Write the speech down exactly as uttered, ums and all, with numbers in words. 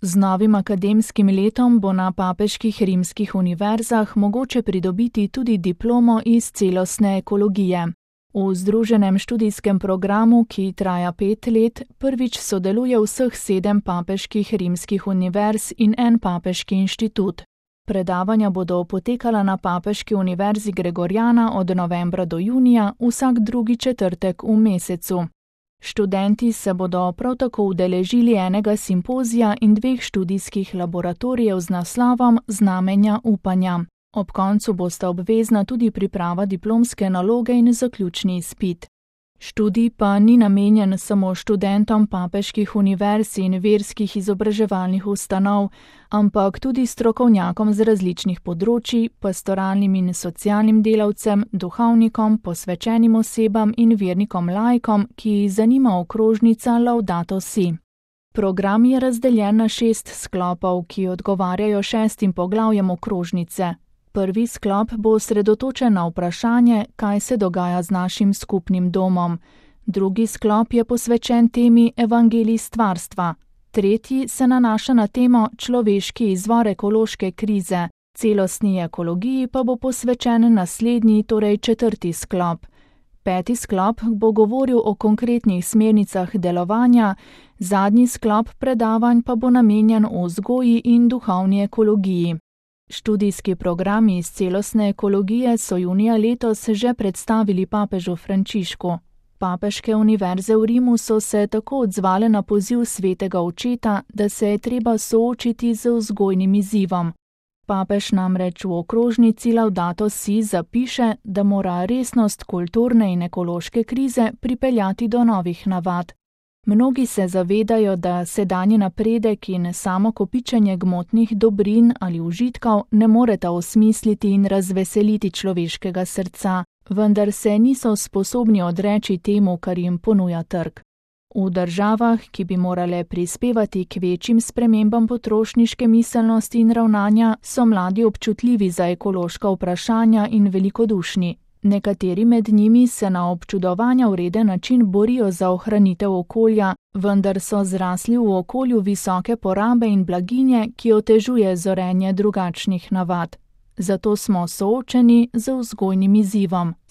Z novim akademskim letom bo na papeških rimskih univerzah mogoče pridobiti tudi diplomo iz celostne ekologije. V združenem študijskem programu, ki traja pet let, prvič sodeluje vseh sedem papeških rimskih univerz in en papeški inštitut. Predavanja bodo potekala na Papeški univerzi Gregoriana od novembra do junija, vsak drugi četrtek v mesecu. Študenti se bodo prav tako udeležili enega simpozija in dveh študijskih laboratorijev z naslovom Znamenja upanja. Ob koncu bosta obvezna tudi priprava diplomske naloge in zaključni izpit. Študij pa ni namenjen samo študentom papeških univerz in verskih izobraževalnih ustanov, ampak tudi strokovnjakom z različnih področij, pastoralnim in socialnim delavcem, duhovnikom, posvečenim osebam in vernikom laikom, ki jih zanima okrožnica Laudato Si. Program je razdeljen na šest sklopov, ki odgovarjajo šestim poglavjem okrožnice. Prvi sklop bo osredotočen na vprašanje, kaj se dogaja z našim skupnim domom. Drugi sklop je posvečen temi evangelij stvarstva. Tretji se nanaša na temo človeški izvor ekološke krize. Celostni ekologiji pa bo posvečen naslednji, torej četrti sklop. Peti sklop bo govoril o konkretnih smernicah delovanja, zadnji sklop predavanj pa bo namenjen vzgoji in duhovni ekologiji. Študijski programi iz celostne ekologije so junija letos že predstavili papežu Frančišku. Papeške univerze v Rimu so se tako odzvale na poziv svetega očeta, da se je treba soočiti z vzgojnim izzivom. Papež namreč v okrožnici Laudato Si zapiše, da mora resnost kulturne in ekološke krize pripeljati do novih navad. Mnogi se zavedajo, da sedanji napredek in samo kopičenje gmotnih dobrin ali užitkov ne moreta osmisliti in razveseliti človeškega srca, vendar se niso sposobni odreči temu, kar jim ponuja trg. V državah, ki bi morale prispevati k večjim spremembam potrošniške miselnosti in ravnanja, so mladi občutljivi za ekološka vprašanja in velikodušni. Nekateri med njimi se na občudovanja vreden način borijo za ohranitev okolja, vendar so zrasli v okolju visoke porabe in blaginje, ki otežuje zorenje drugačnih navad. Zato smo soočeni z vzgojnim izzivom.